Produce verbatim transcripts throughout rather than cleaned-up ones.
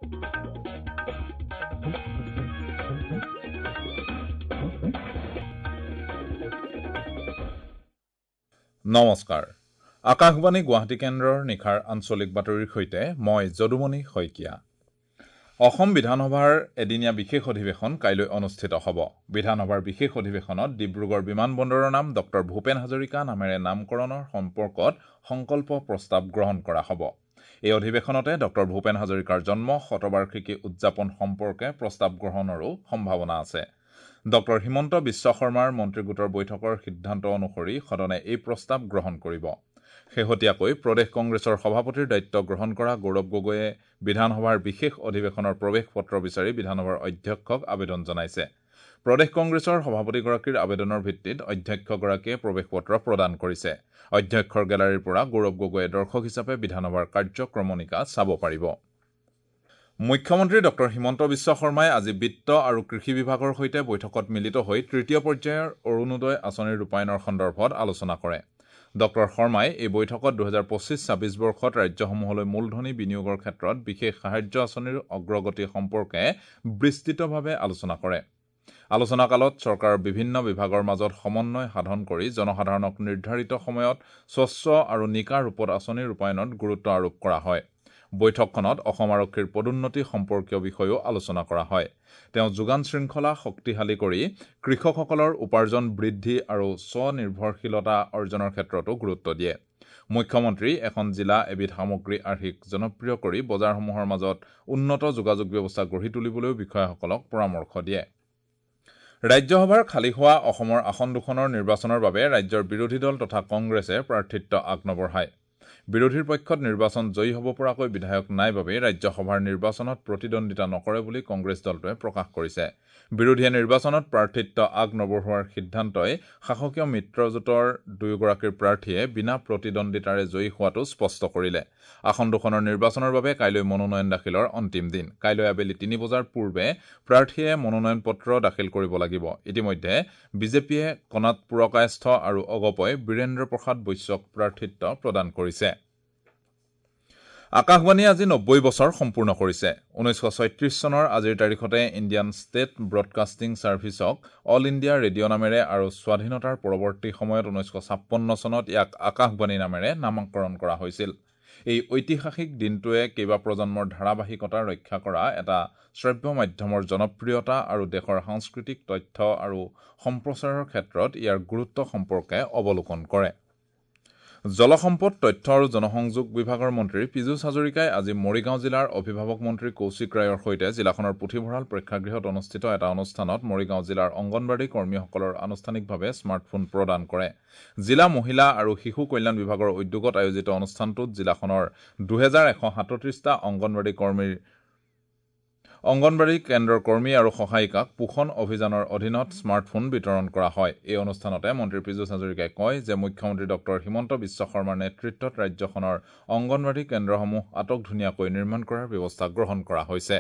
নমস্কাৰ, আকাশবাণী গুৱাহাটী কেন্দ্ৰৰ নিশাৰ আঞ্চলিক বাতৰিৰ সৈতে মই যদুমণি শইকীয়া। অসম বিধানসভাৰ এদিনীয়া বিশেষ অধিৱেশন কাইলৈ অনুষ্ঠিত হ'ব। বিধানসভাৰ বিশেষ অধিৱেশনত ডিব্ৰুগড় বিমানবন্দৰৰ নাম ডক্টৰ ভূপেন হাজৰিকা নামেৰে নামকৰণৰ সম্পৰ্কত সংকল্প প্ৰস্তাৱ গ্ৰহণ কৰা হ'ব। এই অধিৱেশনতে ডক্টৰ ভূপেন হাজৰিকাৰ জন্ম শতবাৰ্ষিকী উদযাপন সম্পৰ্কে প্ৰস্তাৱ গ্ৰহণৰো সম্ভাৱনা আছে। ডক্টৰ হিমন্ত বিশ্ব শৰ্মাৰ মন্ত্ৰীগোটৰ বৈঠকৰ সিদ্ধান্ত অনুসৰি সদনে এই প্ৰস্তাৱ গ্ৰহণ কৰিব। শেহতীয়াকৈ প্ৰদেশ কংগ্ৰেছৰ সভাপতিৰ দায়িত্ব গ্ৰহণ কৰা গৌৰৱ গগৈয়ে বিধানসভাৰ বিশেষ অধিৱেশনৰ প্ৰৱেশ পত্ৰ বিচাৰি বিধানসভাৰ অধ্যক্ষক আবেদন জনাইছে। প্ৰদেশ কংগ্ৰেছৰ সভাপতিগৰাকীৰ আবেদনৰ ভিত্তিত অধ্যক্ষগৰাকীয়ে প্ৰৱেশ পত্ৰ প্ৰদান কৰিছে। অধ্যক্ষৰ গেলাৰীৰ পৰা গৌৰৱ গগৈয়ে দৰ্শক হিচাপে বিধানসভাৰ কাৰ্যক্ৰমণিকা চাব পাৰিব। মুখ্যমন্ত্ৰী ডক্টৰ হিমন্ত বিশ্ব শৰ্মাই আজি বিত্ত আৰু কৃষি বিভাগৰ সৈতে বৈঠকত মিলিত হৈ তৃতীয় পৰ্যায়ৰ অৰুণোদয় আঁচনিৰ ৰূপায়ণৰ সন্দৰ্ভত আলোচনা কৰে। ডক্টৰ শৰ্মাই এই বৈঠকত দুহেজাৰ পঁচিছ ছাব্বিছ বৰ্ষত ৰাজ্যসমূহলৈ মূলধনী বিনিয়োগৰ ক্ষেত্ৰত বিশেষ সাহায্য আঁচনিৰ অগ্ৰগতি সম্পৰ্কে বিস্তৃতভাৱে আলোচনা কৰে। আলোচনাকালত চৰকাৰৰ বিভিন্ন বিভাগৰ মাজত সমন্বয় সাধন কৰি জনসাধাৰণক নিৰ্ধাৰিত সময়ত স্বচ্ছ আৰু নিকা ৰূপত আঁচনি ৰূপায়ণত গুৰুত্ব আৰোপ কৰা হয়। বৈঠকখনত অসম আৰক্ষীৰ পদোন্নতি সম্পৰ্কীয় বিষয়েও আলোচনা কৰা হয়। তেওঁ যোগান শৃংখলা শক্তিশালী কৰি কৃষকসকলৰ উপাৰ্জন বৃদ্ধি আৰু স্বনিৰ্ভৰশীলতা অৰ্জনৰ ক্ষেত্ৰতো গুৰুত্ব দিয়ে। মুখ্যমন্ত্ৰী এখন জিলা এবিধ সামগ্ৰী আৰ্হিক জনপ্ৰিয় কৰি বজাৰসমূহৰ মাজত উন্নত যোগাযোগ ব্যৱস্থা গঢ়ি তুলিবলৈও বিষয়াসকলক পৰামৰ্শ দিয়ে। ৰাজ্যসভাৰ খালী হোৱা অসমৰ আসন দুখনৰ নিৰ্বাচনৰ বাবে ৰাজ্যৰ বিৰোধী দল তথা কংগ্ৰেছে প্ৰাৰ্থিত্ব আগনবঢ়ায়। বিৰোধীৰ পক্ষত নিৰ্বাচন জয়ী হ'ব পৰাকৈ বিধায়ক নাই বাবেই ৰাজ্যসভাৰ নিৰ্বাচনত প্ৰতিদ্বন্দ্বিতা নকৰে বুলি কংগ্ৰেছ দলটোৱে প্ৰকাশ কৰিছে। বিৰোধীয়ে নিৰ্বাচনত প্ৰাৰ্থিত্ব আগ নবঢ়োৱাৰ সিদ্ধান্তই শাসকীয় মিত্ৰজোঁটৰ দুয়োগৰাকীৰ প্ৰাৰ্থীয়ে বিনা প্ৰতিদ্বন্দ্বিতাৰে জয়ী হোৱাটো স্পষ্ট কৰিলে। আসন দুখনৰ নিৰ্বাচনৰ বাবে কাইলৈ মনোনয়ন দাখিলৰ অন্তিম দিন। কাইলৈ আবেলি তিনি বজাৰ পূৰ্বে প্ৰাৰ্থীয়ে মনোনয়ন পত্ৰ দাখিল কৰিব লাগিব। ইতিমধ্যে বিজেপিয়ে কণাত পুৰকায়স্থ আৰু অগপই বীৰেন্দ্ৰ প্ৰসাদ বৈশ্যক প্ৰাৰ্থিত্ব প্ৰদান কৰিছে। আকাশবাণীয়ে আজি নব্বৈ বছৰ সম্পূৰ্ণ কৰিছে। ঊনৈছশ ছয়ত্ৰিছ চনৰ আজিৰ তাৰিখতে ইণ্ডিয়ান ষ্টেট ব্ৰডকাষ্টিং ছাৰ্ভিচক অল ইণ্ডিয়া ৰেডিঅ' নামেৰে আৰু স্বাধীনতাৰ পৰৱৰ্তী সময়ত ঊনৈছশ ছাপন্ন চনত ইয়াক আকাশবাণী নামেৰে নামকৰণ কৰা হৈছিল। এই ঐতিহাসিক দিনটোৱে কেইবা প্ৰজন্মৰ ধাৰাবাহিকতা ৰক্ষা কৰা এটা শ্ৰব্য মাধ্যমৰ জনপ্ৰিয়তা আৰু দেশৰ সাংস্কৃতিক তথ্য আৰু সম্প্ৰচাৰৰ ক্ষেত্ৰত ইয়াৰ গুৰুত্ব সম্পৰ্কে অৱলোকন কৰে। জলসম্পদ, তথ্য আৰু জনসংযোগ বিভাগৰ মন্ত্ৰী পীযুষ হাজৰিকাই আজি মৰিগাঁও জিলাৰ অভিভাৱক মন্ত্ৰী কৌশিক ৰায়ৰ সৈতে জিলাখনৰ পুথিভঁৰাল প্ৰেক্ষাগৃহত অনুষ্ঠিত এটা অনুষ্ঠানত মৰিগাঁও জিলাৰ অংগনবাড়ী কৰ্মীসকলৰ আনুষ্ঠানিকভাৱে স্মাৰ্টফোন প্ৰদান কৰে। জিলা মহিলা আৰু শিশু কল্যাণ বিভাগৰ উদ্যোগত আয়োজিত অনুষ্ঠানটোত জিলাখনৰ দুহেজাৰ এশ সাতত্ৰিছটা অংগনবাড়ী কৰ্মীৰ অংগনবাড়ী কেন্দ্ৰৰ কৰ্মী আৰু সহায়িকাক পোষণ অভিযানৰ অধীনত স্মাৰ্টফোন বিতৰণ কৰা হয়। এই অনুষ্ঠানতে মন্ত্ৰী পীযুষ হাজৰিকাই কয় যে মুখ্যমন্ত্ৰী ডক্টৰ হিমন্ত বিশ্ব শৰ্মাৰ নেতৃত্বত ৰাজ্যখনৰ অংগনবাড়ী কেন্দ্ৰসমূহ আটকধুনীয়াকৈ নিৰ্মাণ কৰাৰ ব্যৱস্থা গ্ৰহণ কৰা হৈছে।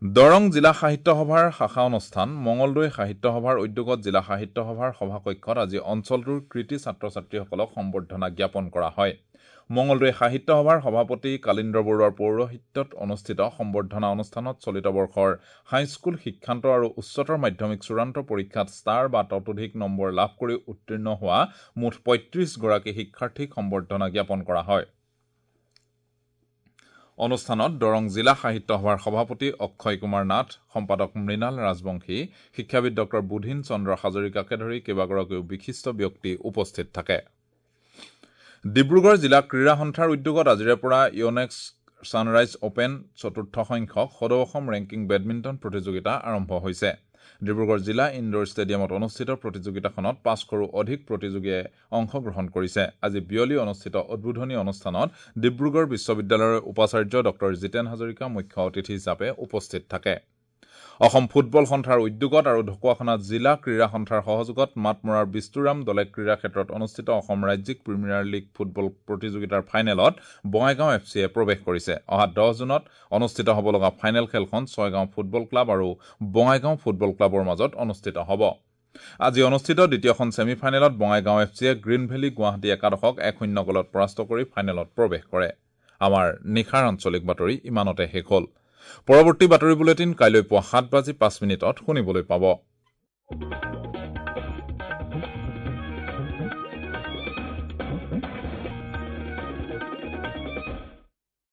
দৰং জিলা সাহিত্য সভাৰ শাখা অনুষ্ঠান মঙলদৈ সাহিত্য সভাৰ উদ্যোগত জিলা সাহিত্য সভাৰ সভাকক্ষত আজি অঞ্চলটোৰ কৃতী ছাত্ৰ ছাত্ৰীসকলক সম্বৰ্ধনা জ্ঞাপন কৰা হয়। মঙলদৈ সাহিত্য সভাৰ সভাপতি কালিন্দ্ৰ বৰুৱাৰ পৌৰোহিত্যত অনুষ্ঠিত সম্বৰ্ধনা অনুষ্ঠানত চলিত বৰ্ষৰ হাইস্কুল শিক্ষান্ত আৰু উচ্চতৰ মাধ্যমিক চূড়ান্ত পৰীক্ষাত ষ্টাৰ বা ততোধিক নম্বৰ লাভ কৰি উত্তীৰ্ণ হোৱা মুঠ পঁয়ত্ৰিছগৰাকী শিক্ষাৰ্থীক সম্বৰ্ধনা জ্ঞাপন কৰা হয়। অনুষ্ঠানত দৰং জিলা সাহিত্য সভাৰ সভাপতি অক্ষয় কুমাৰ নাথ, সম্পাদক মৃণাল ৰাজবংশী, শিক্ষাবিদ ডক্টৰ বুধিন চন্দ্ৰ হাজৰিকাকে ধৰি কেইবাগৰাকীও বিশিষ্ট ব্যক্তি উপস্থিত থাকে। ডিব্ৰুগড় জিলা ক্ৰীড়া সন্থাৰ উদ্যোগত আজিৰে পৰা ইয়নেক্স ছানৰাইজ অপেন চতুৰ্থ সংখ্যক সদৌ অসম ৰেংকিং বেডমিণ্টন প্ৰতিযোগিতা আৰম্ভ হৈছে। ডিব্ৰুগড় জিলা ইনডোৰ ষ্টেডিয়ামত অনুষ্ঠিত প্ৰতিযোগিতাখনত পাঁচশৰো অধিক প্ৰতিযোগীয়ে অংশগ্ৰহণ কৰিছে। আজি বিয়লি অনুষ্ঠিত উদ্বোধনী অনুষ্ঠানত ডিব্ৰুগড় বিশ্ববিদ্যালয়ৰ উপাচাৰ্য ডক্টৰ জিতেন হাজৰিকা মুখ্য অতিথি হিচাপে উপস্থিত থাকে। অসম ফুটবল সন্থাৰ উদ্যোগত আৰু ঢকুৱাখনা জিলা ক্ৰীড়া সন্থাৰ সহযোগত মাতমৰাৰ বিস্তুৰাম দলে ক্ৰীড়া ক্ষেত্ৰত অনুষ্ঠিত অসম ৰাজ্যিক প্ৰিমিয়াৰ লীগ ফুটবল প্ৰতিযোগিতাৰ ফাইনেলত বঙাইগাঁও এফ চিয়ে প্ৰৱেশ কৰিছে। অহা দহ জুনত অনুষ্ঠিত হ'ব লগা ফাইনেল খেলখন ছয়গাঁও ফুটবল ক্লাব আৰু বঙাইগাঁও ফুটবল ক্লাবৰ মাজত অনুষ্ঠিত হ'ব। আজি অনুষ্ঠিত দ্বিতীয়খন ছেমি ফাইনেলত বঙাইগাঁও এফ চিয়ে গ্ৰীণ ভেলী গুৱাহাটী একাদশক এক শূন্য গ'লত পৰাস্ত কৰি ফাইনেলত প্ৰৱেশ কৰে। আমাৰ নিশাৰ আঞ্চলিক বাতৰি ইমানতে শেষ হ'ল। পৰৱৰ্তী বাতৰি বুলেটিন কাইলৈ পুৱা সাত বাজি পাঁচ মিনিটত শুনিবলৈ পাব।